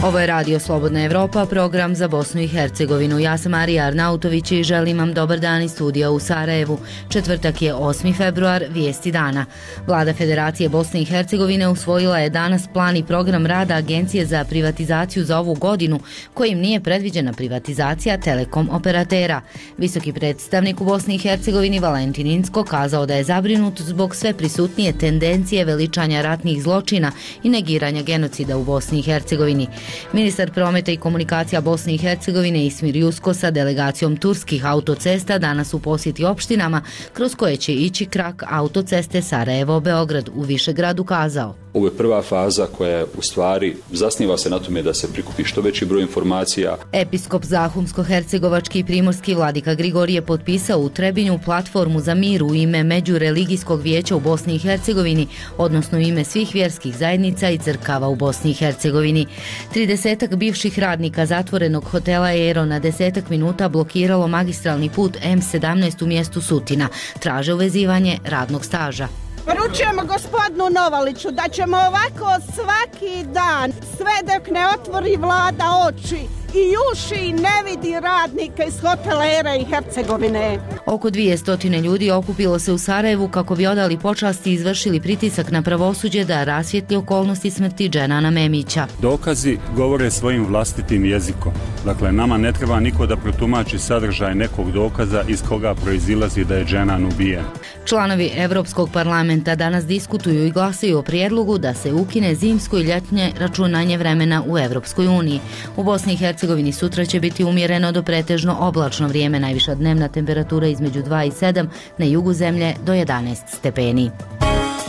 Ovo je Radio Slobodna Evropa, program za Bosnu i Hercegovinu. Ja sam Marija Arnautović i želim vam dobar dan iz studija u Sarajevu. Četvrtak je 8. februar, vijesti dana. Vlada Federacije Bosne i Hercegovine usvojila je danas plan i program rada Agencije za privatizaciju za ovu godinu, kojim nije predviđena privatizacija telekom operatera. Visoki predstavnik u Bosni i Hercegovini Valentin Incko kazao da je zabrinut zbog sve prisutnije tendencije veličanja ratnih zločina i negiranja genocida u Bosni i Hercegovini. Ministar prometa i komunikacija Bosne i Hercegovine Ismir Jusko sa delegacijom turskih autocesta danas u posjeti opštinama kroz koje će ići krak autoceste Sarajevo-Beograd u Višegradu kazao. Ovo je prva faza koja u stvari zasniva se na tome da se prikupi što veći broj informacija. Episkop Zahumsko-hercegovački i primorski vladika Grigorije potpisao u Trebinju platformu za mir u ime Međureligijskog vijeća u Bosni i Hercegovini, odnosno u ime svih vjerskih zajednica i crkava u Bosni i Hercegovini. 30 bivših radnika zatvorenog hotela Ero na 10 minuta blokiralo magistralni put M17 u mjestu Sutina. Traže uvezivanje radnog staža. Poručujemo gospodinu Novaliću da ćemo ovako svaki dan, sve dok ne otvori vlada oči i uši ne vidi radnika iz hotela Era i Hercegovine. Oko 200 ljudi okupilo se u Sarajevu kako bi odali počast i izvršili pritisak na pravosuđe da rasvijetli okolnosti smrti Dženana Memića. Dokazi govore svojim vlastitim jezikom. Dakle, nama ne treba niko da protumači sadržaj nekog dokaza iz koga proizilazi da je Dženan ubijen. Članovi Evropskog parlamenta danas diskutuju i glasaju o prijedlogu da se ukine zimsko i ljetnje računanje vremena u Evropskoj uniji. U Bosni i Hercegovini sutra će biti umjereno do pretežno oblačno vrijeme, najviša dnevna temperatura između 2 i 7, na jugu zemlje do 11 stepeni.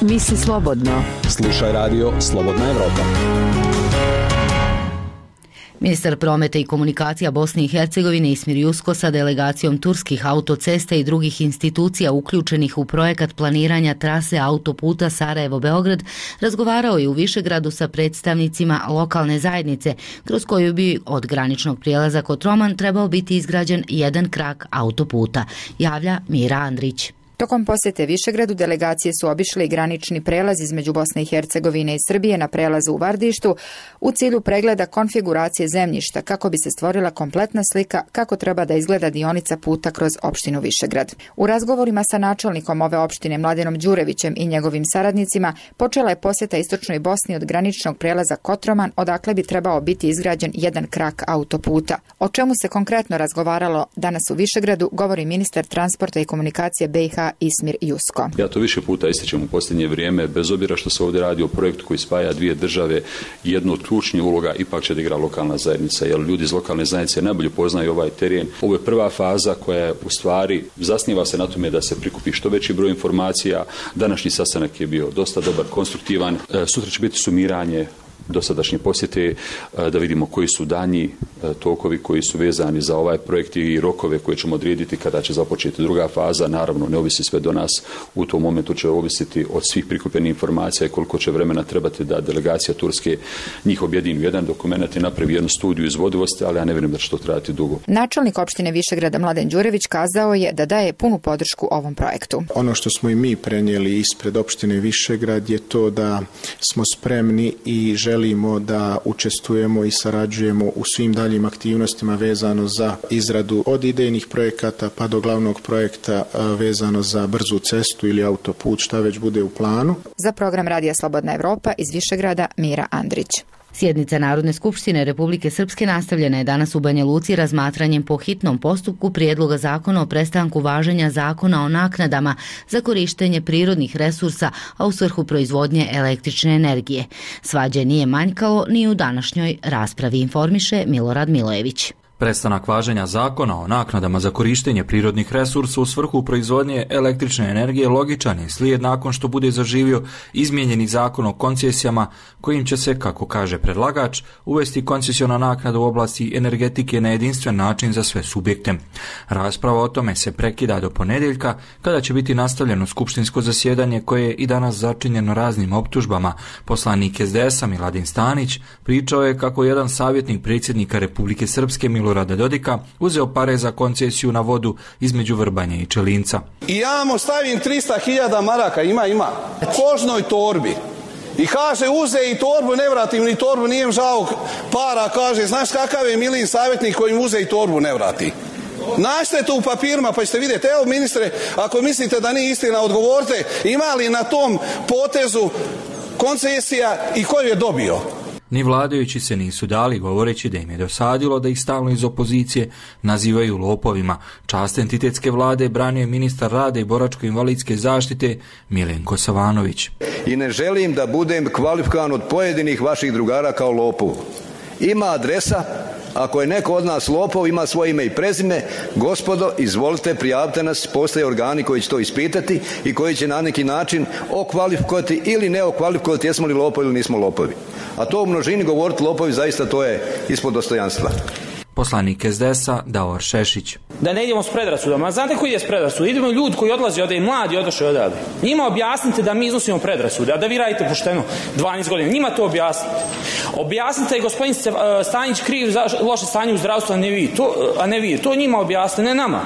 Misli slobodno. Slušaj Radio Slobodna Evropa. Ministar prometa i komunikacija Bosne i Hercegovine Ismir Jusko sa delegacijom turskih autocesta i drugih institucija uključenih u projekat planiranja trase autoputa Sarajevo-Beograd razgovarao je u Višegradu sa predstavnicima lokalne zajednice, kroz koju bi od graničnog prijelaza Kotroman trebao biti izgrađen jedan krak autoputa, javlja Mira Andrić. Tokom posjete Višegradu delegacije su obišle i granični prelaz između Bosne i Hercegovine i Srbije na prelazu u Vardištu u cilju pregleda konfiguracije zemljišta kako bi se stvorila kompletna slika kako treba da izgleda dionica puta kroz opštinu Višegrad. U razgovorima sa načelnikom ove opštine Mladenom Đurevićem i njegovim saradnicima počela je posjeta istočnoj Bosni od graničnog prelaza Kotroman, odakle bi trebao biti izgrađen jedan krak autoputa. O čemu se konkretno razgovaralo danas u Višegradu govori ministar transporta i komunikacije BiH Ismir Jusko. Ja to više puta ističem u posljednje vrijeme, bez obzira što se ovdje radi o projektu koji spaja dvije države, jednu od ključnih uloga ipak će da igra lokalna zajednica, jer ljudi iz lokalne zajednice najbolje poznaju ovaj teren. Ovo je prva faza koja u stvari zasniva se na tome da se prikupi što veći broj informacija. Današnji sastanak je bio dosta dobar, konstruktivan. Sutra će biti sumiranje dosadašnje posjete, da vidimo koji su danji tokovi koji su vezani za ovaj projekt i rokove koje ćemo odrediti kada će započeti druga faza. Naravno, ne ovisi sve do nas, u tom momentu će ovisiti od svih prikupljenih informacija i koliko će vremena trebati da delegacija Turske njih objedini u jedan dokument i napravi jednu studiju izvodivosti, ali ja ne vjerujem da će to trajati dugo. Načelnik opštine Višegrada Mladen Đurević kazao je da daje punu podršku ovom projektu. Ono što smo i mi prenijeli ispred opštine Višegrad je to da smo spremni i želimo da učestvujemo i sarađujemo u svim daljim aktivnostima vezano za izradu od idejnih projekata pa do glavnog projekta vezano za brzu cestu ili autoput, šta već bude u planu. Za program Radija Slobodna Evropa iz Višegrada Mira Andrić. Sjednica Narodne skupštine Republike Srpske nastavljena je danas u Banja Luci razmatranjem po hitnom postupku prijedloga zakona o prestanku važenja zakona o naknadama za korištenje prirodnih resursa, a u svrhu proizvodnje električne energije. Svađe nije manjkalo ni u današnjoj raspravi, informiše Milorad Milojević. Prestanak važenja zakona o naknadama za korištenje prirodnih resursa u svrhu proizvodnje električne energije logičan je slijed nakon što bude zaživio izmijenjeni zakon o koncesijama kojim će se, kako kaže predlagač, uvesti koncesiona naknada u oblasti energetike na jedinstven način za sve subjekte. Rasprava o tome se prekida do ponedjeljka kada će biti nastavljeno skupštinsko zasjedanje koje je i danas začinjeno raznim optužbama. Poslanik SDS-a Miladin Stanić pričao je kako jedan savjetnik predsjednika Republike Srpske Milorada Dodika uzeo pare za koncesiju na vodu između Vrbanja i Čelinca. I ja mu stavim 300.000 maraka, ima, kožnoj torbi. I kaže, uze i torbu, ne vratim ni torbu, nijem žao para, kaže, znaš kakav je Milin savjetnik koji im uze i torbu ne vrati. Nađite to u papirima pa ćete vidjeti. Evo ministre, ako mislite da nije istina, odgovorite, ima li na tom potezu koncesija i koju je dobio? Ni vladajući se nisu dali, govoreći da im je dosadilo da ih stalno iz opozicije nazivaju lopovima. Čast entitetske vlade branio je ministar rada i boračko-invalidske zaštite Milenko Savanović. I ne želim da budem kvalifikovan od pojedinih vaših drugara kao lopov. Ima adresa, ako je neko od nas lopov, ima svoje ime i prezime, gospodo, izvolite, prijavite nas, postoje organi koji će to ispitati i koji će na neki način okvalifikovati ili ne okvalifikovati jesmo li lopovi ili nismo lopovi. A to u množini govoriti lopovi, zaista to je ispod dostojanstva. Poslanik SDS-a Davor Šešić. Da ne idemo s predrasudama. Znate koji je s predrasudama? Idemo ljudi koji odlazi ovdje i mladi odošli odavde. Njima objasnite da mi iznosimo predrasude, a da vi radite pošteno 12 godina. Njima to objasnite. Objasnite je gospodin Stanić kriv za loše stanje u zdravstvu, a ne vi. To njima objasnite, ne nama.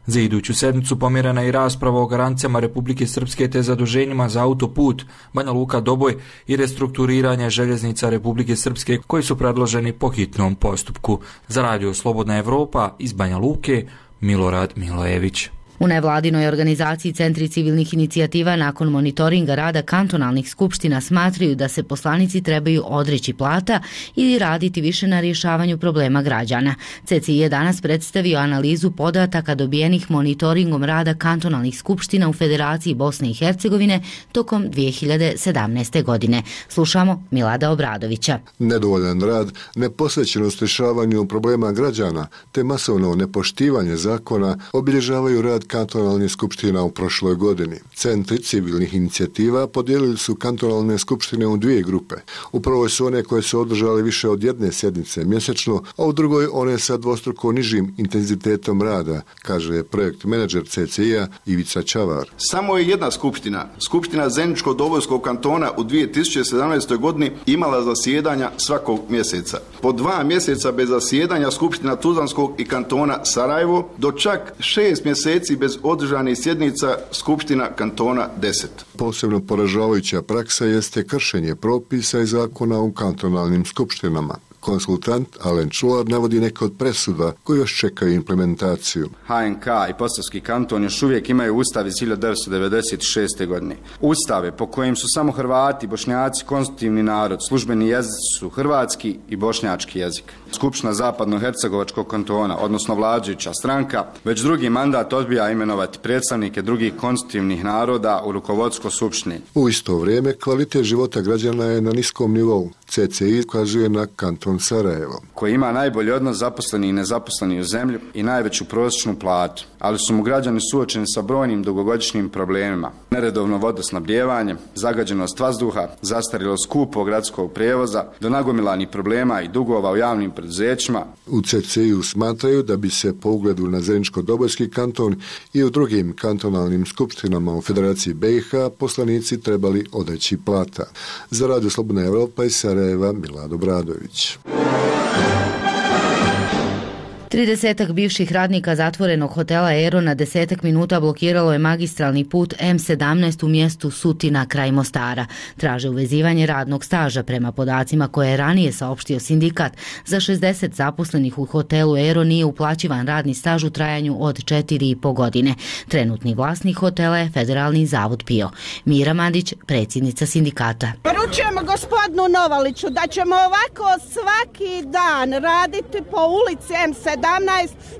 Za iduću sedmicu pomjerena je i rasprava o garancijama Republike Srpske te zaduženjima za autoput Banja Luka-Doboj i restrukturiranje željeznica Republike Srpske koji su predloženi po hitnom postupku. Za radio Slobodna Evropa iz Banja Luke, Milorad Milojević. U nevladinoj organizaciji Centri civilnih inicijativa nakon monitoringa rada kantonalnih skupština smatraju da se poslanici trebaju odreći plata ili raditi više na rješavanju problema građana. CCI je danas predstavio analizu podataka dobijenih monitoringom rada kantonalnih skupština u Federaciji Bosne i Hercegovine tokom 2017. godine. Slušamo Milada Obradovića. Nedovoljan rad, neposvećenost rješavanju problema građana te masovno nepoštivanje zakona obilježavaju rad kantonalnih skupština u prošloj godini. Centri civilnih inicijativa podijelili su kantonalne skupštine u dvije grupe. U prvoj su one koje su održale više od jedne sjednice mjesečno, a u drugoj one sa dvostruko nižim intenzitetom rada, kaže projekt menadžer CCI-a Ivica Čavar. Samo je jedna skupština, Skupština Zeničko-Dobojskog kantona u 2017. godini imala zasjedanja svakog mjeseca. Po 2 mjeseca bez zasjedanja Skupština Tuzlanskog i kantona Sarajevo, do čak 6 mjeseci bez održanih sjednica Skupština kantona 10. Posebno poražavajuća praksa jeste kršenje propisa i zakona u kantonalnim skupštinama. Konsultant Alen Čular navodi neke od presuda koji još čekaju implementaciju. HNK i Posavski kanton još uvijek imaju ustav iz 1996. godine. Ustave po kojim su samo Hrvati, Bošnjaci, konstitutivni narod, službeni jezici su hrvatski i bošnjački jezik. Skupština Zapadno-Hercegovačkog kantona, odnosno vladajuća stranka, već drugi mandat odbija imenovati predstavnike drugih konstitutivnih naroda u rukovodstvo skupštine. U isto vrijeme kvalitet života građana je na niskom nivou. CCI ukazuje na kanton Sarajevo, koji ima najbolji odnos zaposleni i nezaposleni u zemlji i najveću prosječnu platu, ali su mu građani suočeni sa brojnim dugogodišnjim problemima. Neredovno vodosnabdijevanje, zagađenost vazduha, zastarjelo skupo gradskog prijevoza, do nagomilanih problema i dugova u javnim preduzećima. U CCI-u smatraju da bi se po ugledu na Zeničko-Dobojski kanton i u drugim kantonalnim skupštinama u Federaciji BiH poslanici trebali odreći plata. Za radio Slobodna Evropa iz Sarajeva, Milad Obradović. 30 bivših radnika zatvorenog hotela Aero na 10 minuta blokiralo je magistralni put M17 u mjestu Sutina kraj Mostara. Traže uvezivanje radnog staža prema podacima koje je ranije saopštio sindikat. Za 60 zaposlenih u hotelu Aero nije uplaćivan radni staž u trajanju od 4,5 godine. Trenutni vlasnik hotela je Federalni zavod PIO. Mira Mandić, predsjednica sindikata. Poručujemo gospodinu Novaliću da ćemo ovako svaki dan raditi po ulici M17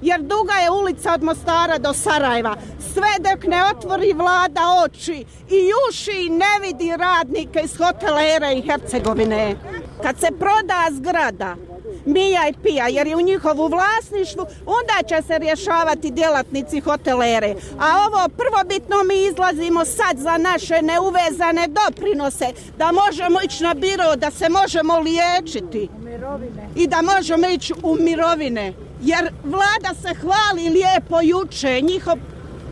jer duga je ulica od Mostara do Sarajeva. Sve dok ne otvori vlada oči i uši i ne vidi radnike iz hotela Era i Hercegovine. Kad se proda zgrada Mija i Pija jer je u njihovu vlasništvu, onda će se rješavati djelatnici hotelere. A ovo prvobitno mi izlazimo sad za naše neuvezane doprinose, da možemo ići na biro, da se možemo liječiti i da možemo ići u mirovine. Jer vlada se hvali lijepo juče, njihov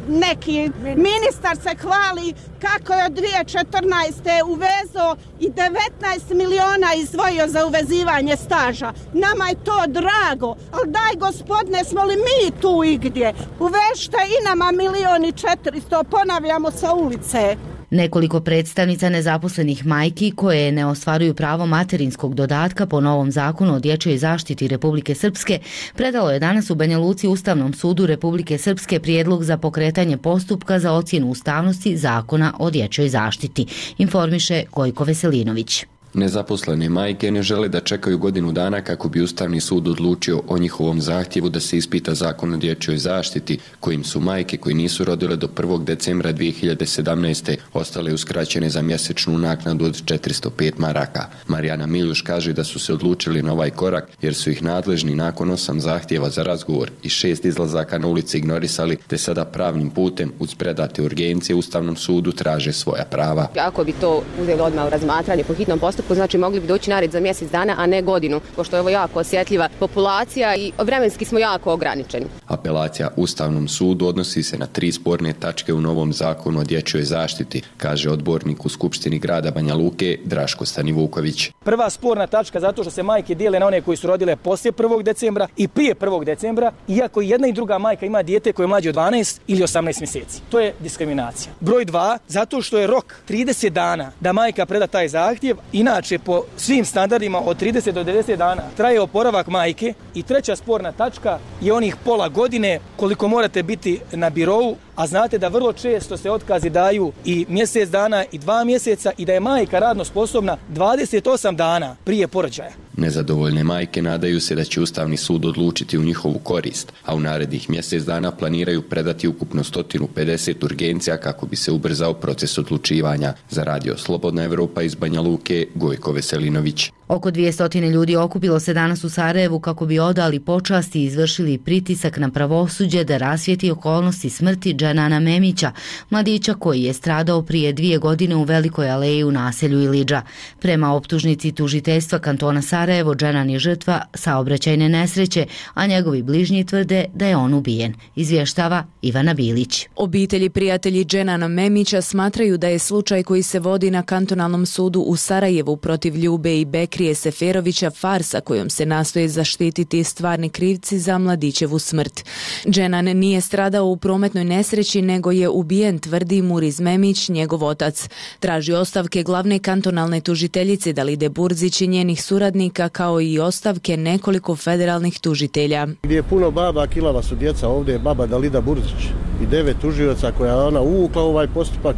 neki ministar se hvali kako je od 2014. uvezo i 19 miliona izdvojio za uvezivanje staža. Nama je to drago, ali daj gospodine, smo li mi tu igdje? Uvežite i nama 1,4 miliona, ponavljamo sa ulice. Nekoliko predstavnica nezaposlenih majki koje ne ostvaruju pravo materinskog dodatka po novom zakonu o dječjoj zaštiti Republike Srpske predalo je danas u Banja Luci Ustavnom sudu Republike Srpske prijedlog za pokretanje postupka za ocjenu ustavnosti zakona o dječjoj zaštiti, informiše Gojko Veselinović. Nezaposlene majke ne žele da čekaju godinu dana kako bi Ustavni sud odlučio o njihovom zahtjevu da se ispita zakon o dječjoj zaštiti, kojim su majke koji nisu rodile do 1. decembra 2017. ostale uskraćene za mjesečnu naknadu od 405 maraka. Marijana Miljuš kaže da su se odlučili na ovaj korak jer su ih nadležni nakon 8 zahtjeva za razgovor i 6 izlazaka na ulici ignorisali, te sada pravnim putem uz predate urgencije Ustavnom sudu traže svoja prava. Ako bi to uzeli odmah u razmatranje po hitnom postupku, znači mogli bi doći na red za mjesec dana, a ne godinu, pošto je ovo jako osjetljiva populacija i vremenski smo jako ograničeni. Apelacija Ustavnom sudu odnosi se na 3 sporne tačke u novom zakonu o dječjoj zaštiti, kaže odbornik u Skupštini grada Banja Luke Draško Stanivuković. Prva sporna tačka zato što se majke dijele na one koji su rodile poslije 1. decembra i prije 1. decembra, iako jedna i druga majka ima dijete koje je mlađe od 12 ili 18 mjeseci. To je diskriminacija. Broj 2, zato što je rok 30 dana da majka preda taj zahtjev. Inače, po svim standardima od 30 do 90 dana traje oporavak majke. I treća sporna tačka je onih pola godine koliko morate biti na birou, a znate da vrlo često se otkazi daju i mjesec dana i 2 mjeseca i da je majka radno sposobna 28 dana prije porođaja. Nezadovoljne majke nadaju se da će Ustavni sud odlučiti u njihovu korist, a u narednih mjesec dana planiraju predati ukupno 150 urgencija kako bi se ubrzao proces odlučivanja. Za Radio Slobodna Evropa iz Banja Luke, Gojko Veselinović. Oko 200 ljudi okupilo se danas u Sarajevu kako bi odali počast i izvršili pritisak na pravosuđe da rasvijetli okolnosti smrti Dženana Memića, mladića koji je stradao prije 2 godine u Velikoj aleji u naselju Ilidža. Prema optužnici tužiteljstva kantona Sarajevo, Dženan je žrtva saobraćajne nesreće, a njegovi bližnji tvrde da je on ubijen, izvještava Ivana Bilić. Obitelji prijatelji Dženana Memića smatraju da je slučaj koji se vodi na kantonalnom sudu u Sarajevu protiv Ljube i Bekrije Seferovića farsa kojom se nastoje zaštititi stvarni krivci za mladićevu smrt. Dženan nije stradao u prometnoj nesreći nego je ubijen, tvrdi Muriz Memić, njegov otac. Traži ostavke glavne kantonalne tužiteljice Dalide Burzić i njenih suradnika kao i ostavke nekoliko federalnih tužitelja. Gdje je puno baba, kilava su djeca, ovdje je baba Dalida Burzić i 9 tužioca koja ona uvukla ovaj postupak.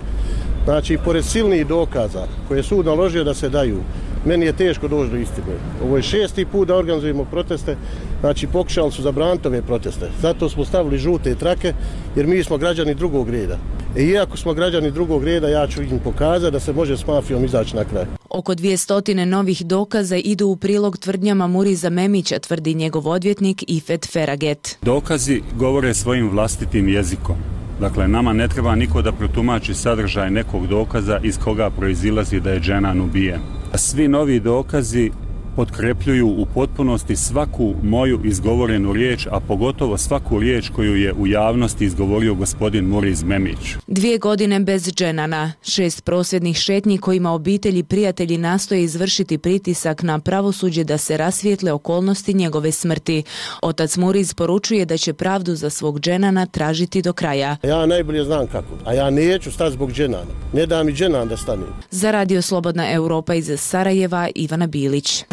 Znači, pored silnih dokaza koje je sud naložio da se daju, meni je teško doći do istine. Ovo je 6. put da organizujemo proteste, znači pokušali su zabraniti ove proteste. Zato smo stavili žute trake, jer mi smo građani drugog reda. Iako smo građani drugog reda, ja ću im pokazati da se može s mafijom izaći na kraj. Oko 200 novih dokaza idu u prilog tvrdnjama Muriza Memića, tvrdi njegov odvjetnik Ifet Feraget. Dokazi govore svojim vlastitim jezikom. Dakle, nama ne treba niko da protumači sadržaj nekog dokaza iz koga proizilazi da je Dženan ubijen. Svi novi dokazi potkrepljuju u potpunosti svaku moju izgovorenu riječ, a pogotovo svaku riječ koju je u javnosti izgovorio gospodin Muriz Memić. 2 godine bez Dženana, 6 prosvjednih šetnji kojima obitelji i prijatelji nastoje izvršiti pritisak na pravosuđe da se rasvijetle okolnosti njegove smrti. Otac Muriz poručuje da će pravdu za svog Dženana tražiti do kraja. Ja najbolje znam kako, a ja neću stati zbog Dženana. Ne da mi Dženan da stane. Za Radio Slobodna Evropa iz Sarajeva, Ivana Bilić.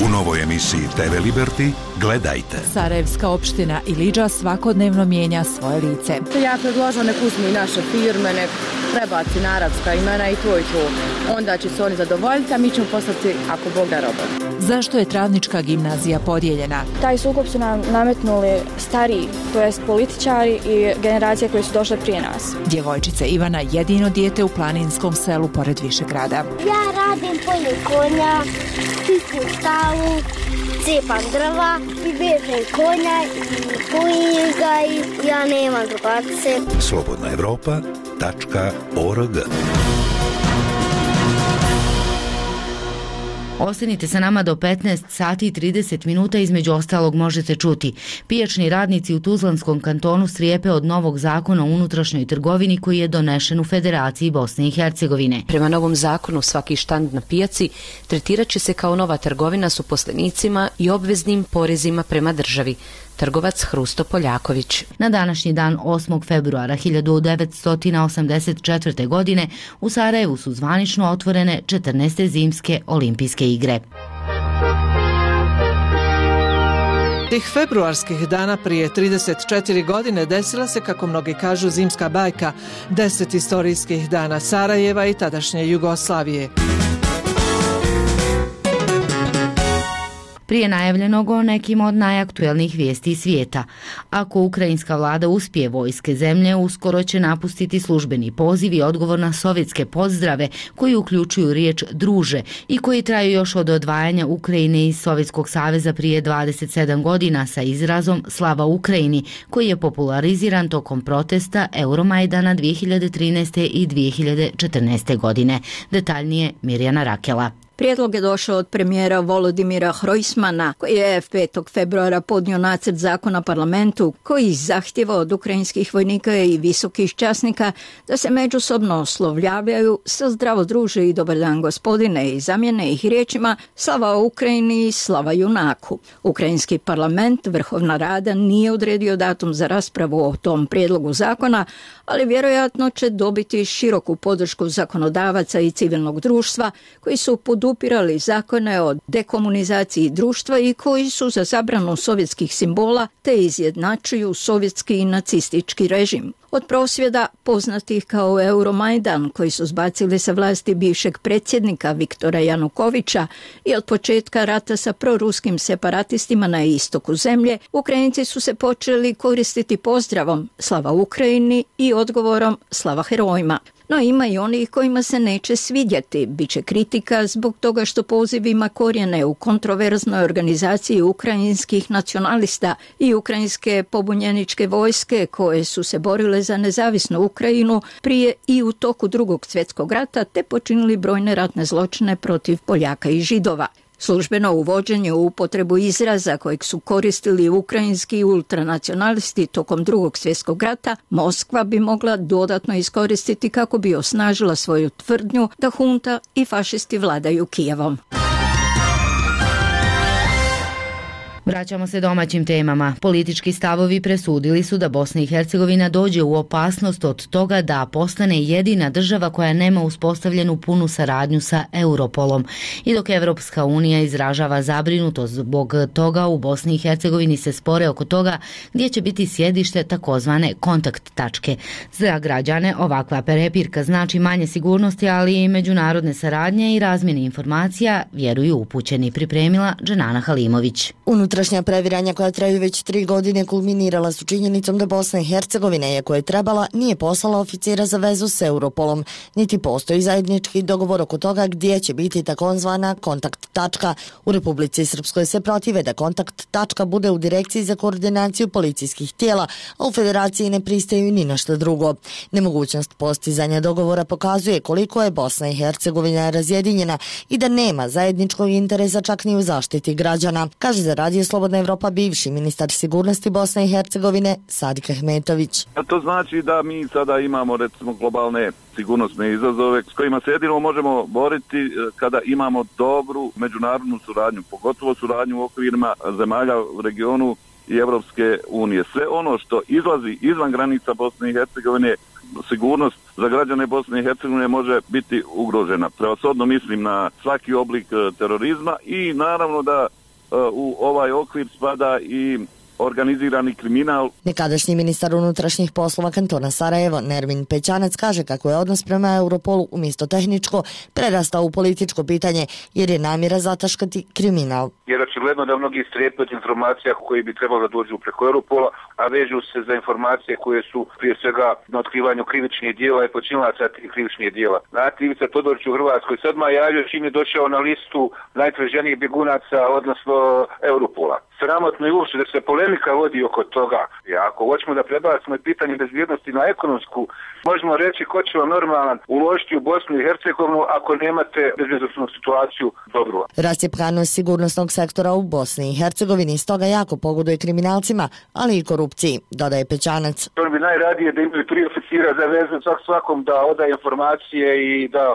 U novoj emisiji TV Liberty gledajte. Sarajevska opština Ilidža svakodnevno mijenja svoje lice. Ja predložila nek uzmu i naše firme, nek prebaci na arapska imena i to. Onda će se oni zadovoljiti, a mi ćemo poslati ako Bog da roba. Zašto je Travnička gimnazija podijeljena? Taj sukob su nam nametnuli stariji, to jest političari i generacije koje su došle prije nas. Djevojčica Ivana jedino dijete u planinskom selu pored Višegrada. Ja radim polje konja, čistim stavu, cepam drva i vežem konja i pojim ga i ja nemam drugarce. slobodnaevropa.org. Ostanite sa nama do 15 sati i 30 minuta, između ostalog možete čuti. Pijačni radnici u Tuzlanskom kantonu strepe od novog zakona o unutrašnjoj trgovini koji je donešen u Federaciji Bosne i Hercegovine. Prema novom zakonu svaki štand na pijaci tretirat će se kao nova trgovina s uposlenicima i obveznim porezima prema državi. trgovac Hrusto Poljaković. Na današnji dan 8. februara 1984. godine u Sarajevu su zvanično otvorene 14. zimske olimpijske igre. Tih februarskih dana prije 34 godine desila se, kako mnogi kažu, zimska bajka, 10 istorijskih dana Sarajeva i tadašnje Jugoslavije. Prije najavljenog o nekim od najaktuelnijih vijesti svijeta. Ako ukrajinska vlada uspije, vojske zemlje uskoro će napustiti službeni poziv i odgovor na sovjetske pozdrave koji uključuju riječ druže i koji traju još od odvajanja Ukrajine iz Sovjetskog saveza prije 27 godina sa izrazom Slava Ukrajini, koji je populariziran tokom protesta Euromajdana 2013. i 2014. godine. Detaljnije Mirjana Rakela. Prijedlog je došao od premijera Volodimira Hrojsmana, koji je 5. februara podnio nacrt zakona parlamentu koji zahtjeva od ukrajinskih vojnika i visokih časnika da se međusobno oslovljavaju sa zdravo druže i dobar dan gospodine i zamjene ih riječima slava Ukrajini i slava junaku. Ukrajinski parlament, Vrhovna rada, nije odredio datum za raspravu o tom prijedlogu zakona, ali vjerojatno će dobiti široku podršku zakonodavaca i civilnog društva koji su podupirali zakone o dekomunizaciji društva i koji su za zabranu sovjetskih simbola te izjednačuju sovjetski i nacistički režim. Od prosvjeda poznatih kao Euromajdan, koji su zbacili sa vlasti bivšeg predsjednika Viktora Janukovića, i od početka rata sa proruskim separatistima na istoku zemlje, Ukrajinci su se počeli koristiti pozdravom Slava Ukrajini i odgovorom Slava herojima. No ima i onih kojima se neće svidjeti. Biće kritika zbog toga što poziv ima korijene u kontroverznoj organizaciji ukrajinskih nacionalista i ukrajinske pobunjeničke vojske koje su se borile za nezavisnu Ukrajinu prije i u toku Drugog svjetskog rata te počinili brojne ratne zločine protiv Poljaka i Židova. Službeno uvođenje u upotrebu izraza kojeg su koristili ukrajinski ultranacionalisti tokom Drugog svjetskog rata, Moskva bi mogla dodatno iskoristiti kako bi osnažila svoju tvrdnju da hunta i fašisti vladaju Kijevom. Vraćamo se domaćim temama. Politički stavovi presudili su da Bosna i Hercegovina dođe u opasnost od toga da postane jedina država koja nema uspostavljenu punu saradnju sa Europolom. I dok Evropska unija izražava zabrinutost zbog toga, u Bosni i Hercegovini se spore oko toga gdje će biti sjedište takozvane kontakt tačke. Za građane ovakva prepirka znači manje sigurnosti, ali i međunarodne saradnje i razmjene informacija, vjeruju upućeni, pripremila Dženana Halimović. Unutrašnja previranja koja traju već 3 godine kulminirala su činjenicom da Bosna i Hercegovina, iako je trebala, nije poslala oficira za vezu s Europolom, niti postoji zajednički dogovor oko toga gdje će biti takozvana kontakt tačka. U Republici Srpskoj se protive da kontakt tačka bude u Direkciji za koordinaciju policijskih tijela, a u Federaciji ne pristaju ni na što drugo. Nemogućnost postizanja dogovora pokazuje koliko je Bosna i Hercegovina razjedinjena i da nema zajedničkog interesa čak ni u zaštiti građana, kaže za Radio Slobodna Evropa bivši ministar sigurnosti Bosne i Hercegovine Sadik Ahmetović. To znači da mi sada imamo recimo globalne sigurnosne izazove s kojima se jedino možemo boriti kada imamo dobru međunarodnu suradnju, pogotovo suradnju u okvirima zemalja u regionu i Evropske unije. Sve ono što izlazi izvan granica Bosne i Hercegovine, sigurnost za građane Bosne i Hercegovine može biti ugrožena. Prevashodno mislim na svaki oblik terorizma i naravno da u ovaj okvir spada i organizirani kriminal. Nekadašnji ministar unutrašnjih poslova kantona Sarajevo, Nermin Pećanac, kaže kako je odnos prema Europolu umjesto tehničko prerastao u političko pitanje jer je namjera zataškati kriminal. Jer očigledno da mnogi strepe od informacija koji bi trebalo da dođu preko Europola, a vežu se za informacije koje su prije svega na otkrivanju krivičnih dijela i počinilaca tih krivičnih dijela. Znate, Ivica Todorić u Hrvatskoj sad javio čim je došao na listu najtraženijih bjegunaca, odnosno Europola. Sramotno je uopšte da se polemika vodi oko toga. I ako hoćemo da prebacimo pitanje bezbjednosti na ekonomsku, možemo reći ko će vam normalan uložiti u Bosnu i Hercegovinu ako nemate bezbjednosnu situaciju dobru. Rascjepkanost sigurnosnog sektora u Bosni i Hercegovini stoga jako pogoduje kriminalcima, ali i korupciji, dodaje Pećanac. On bi najradije da imaju 3 oficira za vezu svakom da odaje informacije i da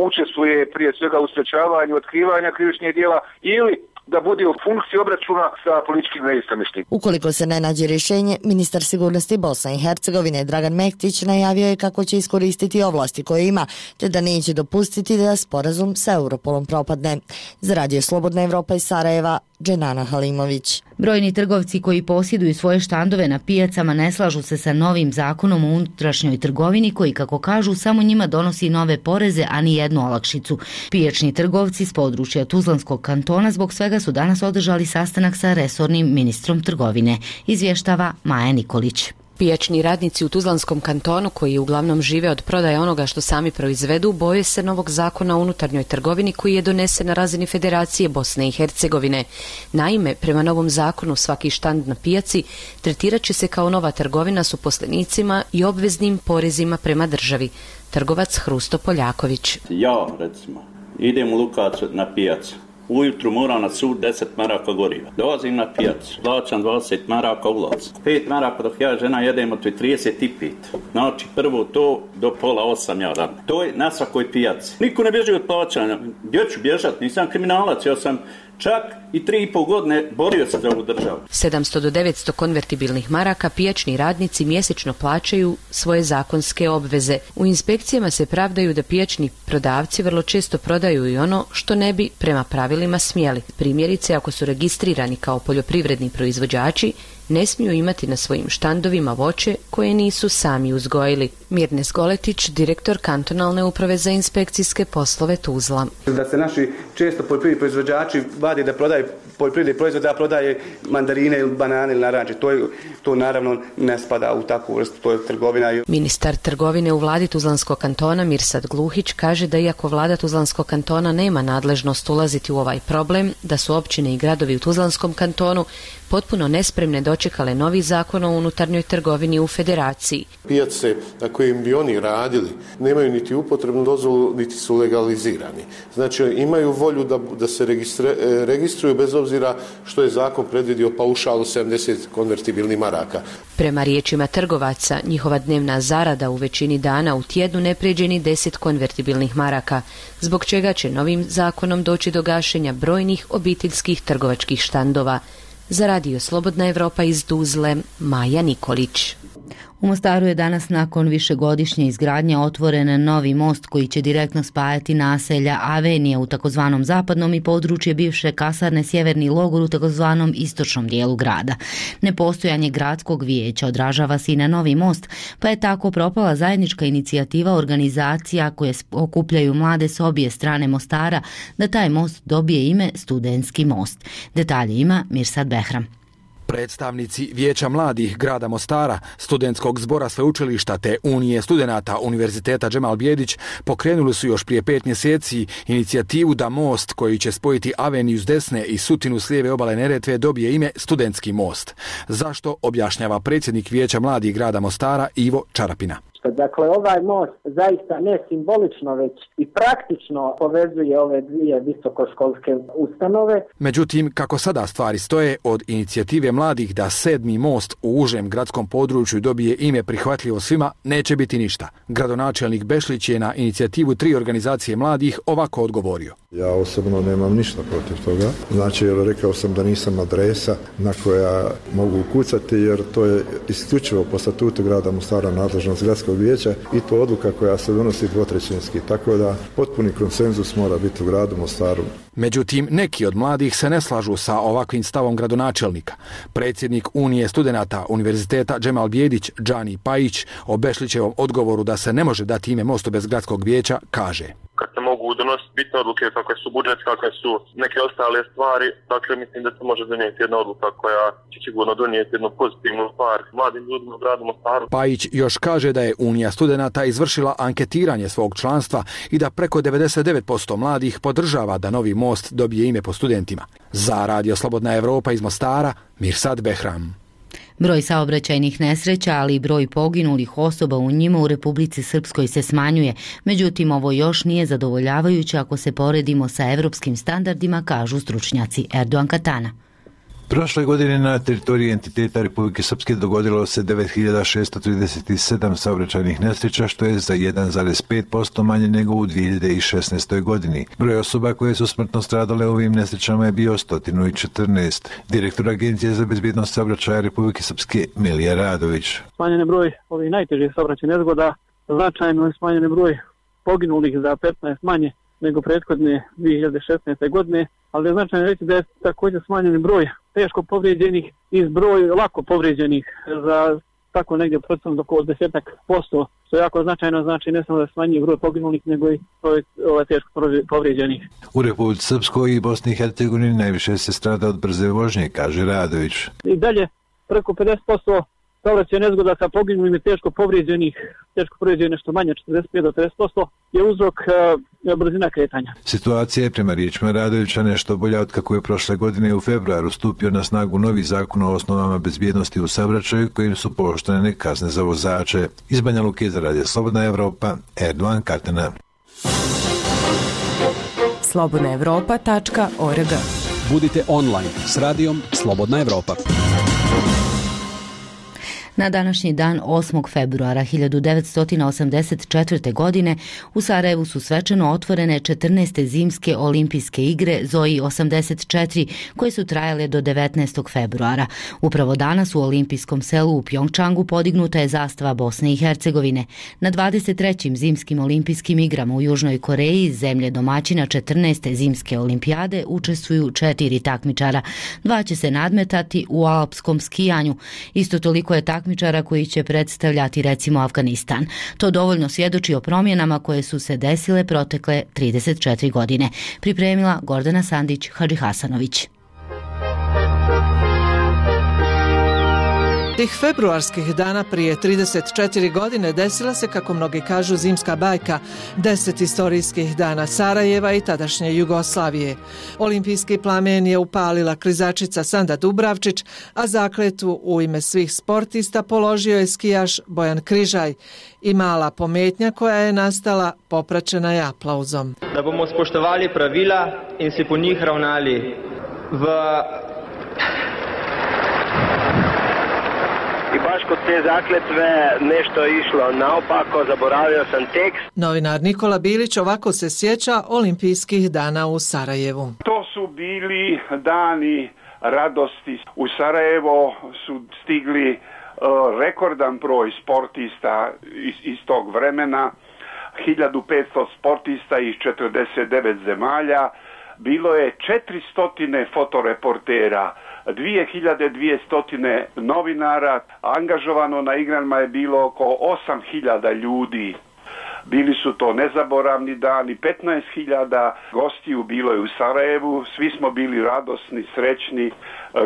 učestvuje prije svega u sprečavanju otkrivanja krivičnih djela ili da bude u funkciji obračuna sa političkim neistomišljenicima. Ukoliko se ne nađe rješenje, ministar sigurnosti Bosne i Hercegovine Dragan Mektić najavio je kako će iskoristiti ovlasti koje ima, te da neće dopustiti da sporazum sa Europolom propadne. Za Radio Slobodna Evropa iz Sarajeva, Dženana Halimović. Brojni trgovci koji posjeduju svoje štandove na pijacama ne slažu se sa novim zakonom o unutrašnjoj trgovini koji, kako kažu, samo njima donosi nove poreze, a ni jednu olakšicu. Pijačni trgovci s područja Tuzlanskog kantona zbog svega su danas održali sastanak sa resornim ministrom trgovine, izvještava Maja Nikolić. Pijačni radnici u Tuzlanskom kantonu, koji uglavnom žive od prodaje onoga što sami proizvedu, boje se novog zakona o unutarnjoj trgovini koji je donesen na razini Federacije Bosne i Hercegovine. Naime, prema novom zakonu svaki štand na pijaci tretirat će se kao nova trgovina s uposlenicima i obveznim porezima prema državi. Trgovac Hrusto Poljaković. Ja, recimo, idem u Lukac na pijacu. Ujutru moram na sud 10 maraka goriva. Dolazim na pijacu, plaćam 20 maraka ulaz. 5 maraka dok ja žena jedemo, to je 35. Znači prvo to do pola 8 ja radim. To je na svakoj pijaci. Niko ne bježi od plaćanja. Gdje ću bježati? Nisam kriminalac, ja sam čak i 3,5 godine borio se za ovu državu. 700 do 900 konvertibilnih maraka pijačni radnici mjesečno plaćaju svoje zakonske obveze. U inspekcijama se pravdaju da pijačni prodavci vrlo često prodaju i ono što ne bi prema pravilima smjeli. Primjerice, ako su registrirani kao poljoprivredni proizvođači, ne smiju imati na svojim štandovima voće koje nisu sami uzgojili. Mirnes Goletić, direktor kantonalne uprave za inspekcijske poslove Tuzla. Da se naši često poljoprivredni proizvođači vadi da prodaju poljoprivredni proizvod, da prodaje mandarine ili banane ili naranče. To naravno ne spada u takvu vrstu, to je trgovina. Ministar trgovine u vladi Tuzlanskog kantona Mirsad Gluhić kaže da iako vlada Tuzlanskog kantona nema nadležnost ulaziti u ovaj problem, da su općine i gradovi u Tuzlanskom kantonu potpuno nespremne dočekale novi zakon o unutarnjoj trgovini u Federaciji. Pijace na kojim bi oni radili nemaju niti upotrebnu dozvolu, niti su legalizirani. Znači imaju volju da se registruju bez obzira što je zakon predvidio paušal 70 konvertibilnih maraka. Prema riječima trgovaca, njihova dnevna zarada u većini dana u tjednu ne pređe ni 10 konvertibilnih maraka, zbog čega će novim zakonom doći do gašenja brojnih obiteljskih trgovačkih štandova. Za Radio Slobodna Evropa iz Tuzle, Maja Nikolić. U Mostaru je danas nakon višegodišnje izgradnje otvoren novi most koji će direktno spajati naselja Avenija u takozvanom zapadnom i područje bivše kasarne Sjeverni logor u takozvanom istočnom dijelu grada. Nepostojanje gradskog vijeća odražava se i na novi most, pa je tako propala zajednička inicijativa organizacija koje okupljaju mlade s obje strane Mostara da taj most dobije ime Studentski most. Detalje ima Mirsad Behram. Predstavnici Vijeća mladih grada Mostara, Studentskog zbora sveučilišta te Unije studenata Univerziteta Džemal Bijedić pokrenuli su još prije 5 mjeseci inicijativu da most koji će spojiti Aveniju s desne i Sutinu s lijeve obale Neretve dobije ime Studentski most. Zašto, objašnjava predsjednik Vijeća mladih grada Mostara Ivo Čarapina. Dakle, ovaj most zaista ne simbolično, već i praktično povezuje ove dvije visokoškolske ustanove. Međutim, kako sada stvari stoje, od inicijative mladih da 7. most u užem gradskom području dobije ime prihvatljivo svima, neće biti ništa. Gradonačelnik Bešlić je na inicijativu 3 organizacije mladih ovako odgovorio. Ja osobno nemam ništa protiv toga. Znači, jer rekao sam da nisam adresa na koja mogu ukucati, jer to je isključivo po statutu grada Mostara nadležnost gradskog vijeća i to odluka koja se donosi dvotrećinski. Tako da potpuni konsenzus mora biti u gradu Mostaru. Međutim, neki od mladih se ne slažu sa ovakvim stavom gradonačelnika. Predsjednik Unije studenata Univerziteta Džemal Bijedić, Džani Pajić, o Bešlićevom odgovoru da se ne može dati ime mostu bez gradskog vijeća, kaže: kad se mogu donositi bitne odluke kakve su budžet, kakve su neke ostale stvari, dakle mislim da se može donijeti jedna odluka koja će sigurno donijeti jednu pozitivnu stvar mladim ljudima u gradu Mostaru. Pajić još kaže da je Unija studenata izvršila anketiranje svog članstva i da preko 99% mladih podržava da novi most dobije ime po studentima. Za Radio Slobodna Evropa iz Mostara, Mirsad Behram. Broj saobraćajnih nesreća, ali i broj poginulih osoba u njima u Republici Srpskoj se smanjuje. Međutim, ovo još nije zadovoljavajuće ako se poredimo sa evropskim standardima, kažu stručnjaci. Erdogan Katana. Prošle godine na teritoriji entiteta Republike Srpske dogodilo se 9637 saobraćajnih nesreća, što je za 1,5% manje nego u 2016. godini. Broj osoba koje su smrtno stradale u ovim nesrećama je bio 114. Direktor Agencije za bezbjednost saobraćaja Republike Srpske Milija Radović. Smanjen je broj ovih najtežih saobraćajnih nezgoda, značajno je smanjen je broj poginulih za 15 manje nego prethodne 2016. godine, ali je značajno reći da je također smanjen broj teško povrijeđenih i broj lako povrijeđenih za tako negdje procentom oko 10%, što je jako značajno, znači ne samo da smanjuje broj poginulih, nego i broj teško povrijeđenih. U Republici Srpskoj i Bosni i Hercegovini najviše se strada od brze vožnje, kaže Radović. I dalje preko 50% saobraćajnih nezgoda sa poginulim i teško povrijeđenih nešto manje, 45 do 50%, je uzrok brzina kretanja. Situacija je prema riječima Radovića nešto bolja od kako je prošle godine u februaru stupio na snagu novi zakon o osnovama bezbjednosti u saobraćaju kojim su pooštrene kazne za vozače. Iz Banja Luke za Radio Slobodna Evropa, Erdogan Kartena. slobodnaevropa.org. Budite online s radijom Slobodna Evropa. Na današnji dan 8. februara 1984. godine u Sarajevu su svečano otvorene 14. zimske olimpijske igre Zoji 84 koje su trajale do 19. februara. Upravo danas u olimpijskom selu u Pjongčangu podignuta je zastava Bosne i Hercegovine. Na 23. zimskim olimpijskim igrama u Južnoj Koreji, zemlje domaćina 14. zimske olimpijade, učestvuju 4 takmičara. 2 će se nadmetati u alpskom skijanju. Isto toliko je takmičara koji će predstavljati recimo Afganistan. To dovoljno svjedoči o promjenama koje su se desile protekle 34 godine. Pripremila Gordana Sandić Hadžihasanović. Tih februarskih dana prije 34 godine desila se, kako mnogi kažu, zimska bajka, 10 istorijskih dana Sarajeva i tadašnje Jugoslavije. Olimpijski plamen je upalila klizačica Sanda Dubravčić, a zakletvu u ime svih sportista položio je skijaš Bojan Križaj i mala pometnja koja je nastala popraćena je aplauzom. Da bomo spoštovali pravila in se po njih ravnali v... I baš kod te zakletve nešto je išlo naopako, zaboravio sam tekst. Novinar Nikola Bilić ovako se sjeća olimpijskih dana u Sarajevu. To su bili dani radosti. U Sarajevo su stigli rekordan broj sportista iz tog vremena, 1500 sportista iz 49 zemalja, bilo je 400 fotoreportera, 2200 novinara, angažovano na igrama je bilo oko 8000 ljudi. Bili su to nezaboravni dani, 15.000 gostiju bilo je u Sarajevu, svi smo bili radosni, srećni,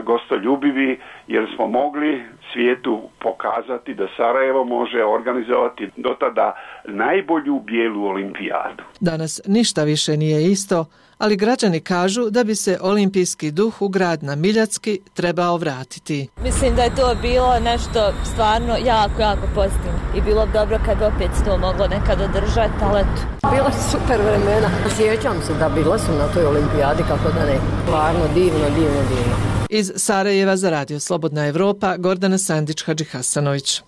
gostoljubivi, jer smo mogli svijetu pokazati da Sarajevo može organizovati do tada najbolju bijelu olimpijadu. Danas ništa više nije isto, ali građani kažu da bi se olimpijski duh u grad na Miljacki trebao vratiti. Mislim da je to bilo nešto stvarno jako pozitivno i bilo bi dobro kad opet to moglo nekad održati, ali eto. Bila su super vremena. Sjećam se da bila su na toj olimpijadi, kako da ne. Stvarno divno. Iz Sarajeva za Radio Slobodna Evropa, Gordana Sandić Hadžihasanović.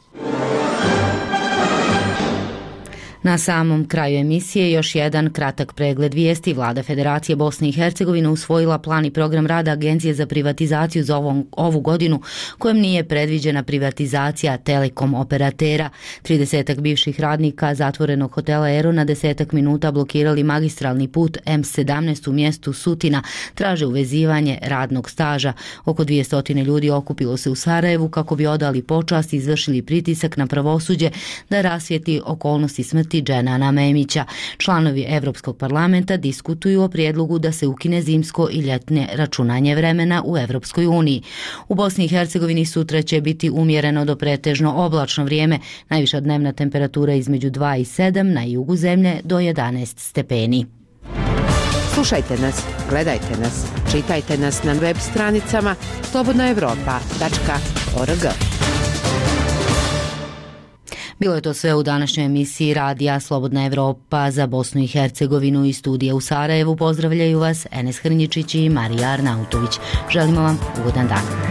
Na samom kraju emisije još jedan kratak pregled vijesti. Vlada Federacije Bosne i Hercegovine usvojila plan i program rada Agencije za privatizaciju za ovu godinu, kojem nije predviđena privatizacija telekom operatera. 30 bivših radnika zatvorenog hotela Ero na 10 minuta blokirali magistralni put M17 u mjestu Sutina, traže uvezivanje radnog staža. Oko 200 ljudi okupilo se u Sarajevu kako bi odali počast i izvršili pritisak na pravosuđe da rasvijetli okolnosti smrti Dženana Memića. Članovi Evropskog parlamenta diskutuju o prijedlogu da se ukine zimsko i ljetne računanje vremena u Evropskoj uniji. U Bosni i Hercegovini sutra će biti umjereno do pretežno oblačno vrijeme, najviša dnevna temperatura između 2 i 7, na jugu zemlje do 11 stepeni. Slušajte nas, gledajte nas, čitajte nas na web stranicama slobodnaevropa.org. Bilo je to sve u današnjoj emisiji Radija Slobodna Evropa za Bosnu i Hercegovinu i studija u Sarajevu. Pozdravljaju vas Enes Hrnjičić i Marija Arnautović. Želimo vam ugodan dan.